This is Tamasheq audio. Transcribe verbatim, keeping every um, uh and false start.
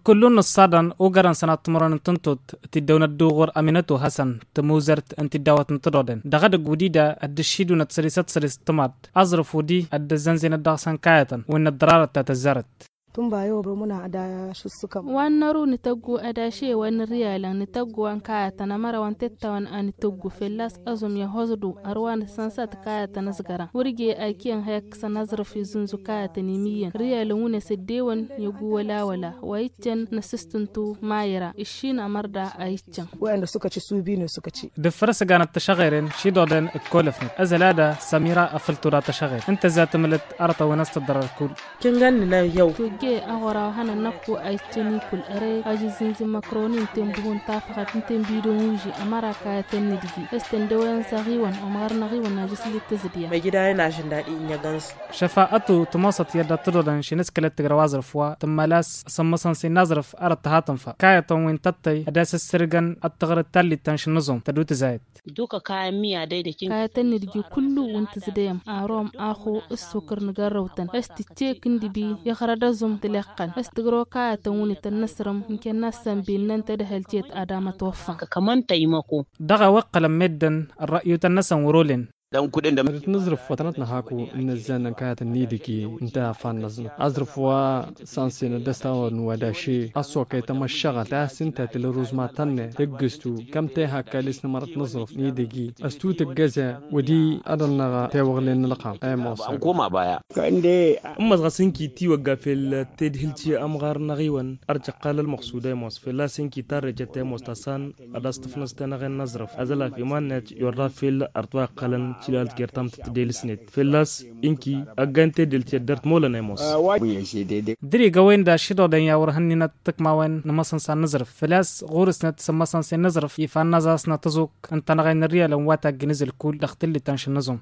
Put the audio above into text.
Kullu n-ǝṣṣadăn ugarăn sănat timărăn n-tǝntot. Tiddăwnăt d-uɣur aminătu hasăn tămuzărt n-tiddawăt n-tădoden dăɣ-edăgg wǝdida ăddăššidunăt sărisăt săris tămaḍt. Aẓrǝf wǝdi ăddăzzănzenăt dăɣ-săn kayătăn wǝnnăt ḍărarăt ta tăzzarăt. Tǝnba i-obromuna ădaš ǝssǝkăm. Wa n-năru nǝtăggu ădaše wa n-riyalăn nǝtăggu wa n-kayătăn ămăra wa n-tettawăn a nǝtăggu fălla-s ăẓum i-ăhoẓdu. Ărwa nǝsănsat kayătăn ăẓgărăn wăr je a ikiyăn ha ikkăsăn aẓrǝf izǝnzu kayătăn imiyyăn riyalăn wǝnăs ăddewăn i-ăgg wăla-wăla wa iccăn năsǝstǝntu mayra ǝššin ămărda a iccăn. Wa ănda sukăci subino sukăci. Dăffăr ăsăganăt tăšăɣeren šidoden ǝkkolăfnăt ăzălada sămira afăl tura tăšăɣer ǝnta za tǝmǝlăt arătăwăn ăstăḍrăr kull. Kǝngan nǝna yăw. Tojje aɣora wa hănăn năkku a iccăn ikul ărăy ajǝzzǝnzǝn măkroni ǝnta n-buhu n-tafăɣăt ǝnta n-bidon uži ămăra kayătăn n-idgi ăstăndăwăn s-aɣiwăn ămɣar n-aɣiwăn ajǝslit tǝzǝdya. Măjidayăn ažǝndad inyăgăn-s. Šăfa ătu tămoosăt i-ad-dd-tăḍodăn šinǝskălăt tǝgra wa aẓrǝf wa tǝmmălas sămmăsăn s-inaẓrǝf arăt tăhatăn fa kayătăn wi n-tăttăy ad-asǝssărgăn ad-tăɣrǝd tallit ta n-šǝnnǝẓum tădut zayăt. Dukă kayăn miya dăydăk. Kayătăn n-idgi kullu wi n-tǝzdăyăm arom axo ǝssukǝr n-igărrăwtăn ăstǝccek n-idbi iɣrăd ăẓum tǝleqqăn ăstǝgrăw kayătăn wi n-tăn-nǝsrǝm n-kănna s-sănbennăn tadhălcet ad-amătwăffăn. Kămăn tăymăko. Dăɣ-a-wa ǝqqălăn meddǝn ărră'yutăn-năsăn wăr-olen. Ădăt n-aẓrǝf wa tănăt-năhaku n-inăzzan n-kayătăn n-idǝgi ǝnta a fan-năẓnăt aẓrǝf wa s-ansenăt d-ăstawăn wădaše ăssokăy tamăššăɣălt ta s-ǝnta tǝl ăruzma tănne tǝggǝstu kăm tehakka lis n-amărăt n-aẓrǝf n-idǝgi ăstu tǝggăze wădi ad-ănnăɣ tewăɣlen n-ălxam. Ămoosăn. Ǝmmăẓ ɣas ǝnki tiwăgga fel tedhǝlt i-ămɣar n-aɣiwăn ărjăqqal ălmăqsud ămoos fălla-s ǝnki tarrejăt ămoos ta s-an ad-as-tǝfnăẓ tenăɣen n-aẓrǝf azălaf iman-net i-orra fel ărtwa iqqălăn tilalt gertam tăt-delǝsnet fălla-s ǝnki ăggan tedelt i-ăddăr tmolăn ămoos. Dăr-igăwen d-ašidodăn i-a wăr hănninăt tǝkmawen n-imăsăn s-ad-nǝẓrǝf făl-a-s ɣur-snăt s-imăsăn s-ad-nǝẓrǝf ifa n-aẓasnăt ăẓuk n-tanăɣen n-riyalăn wa taggǝn izǝl kull dăɣ-tǝllit ta n-šǝnnǝẓum.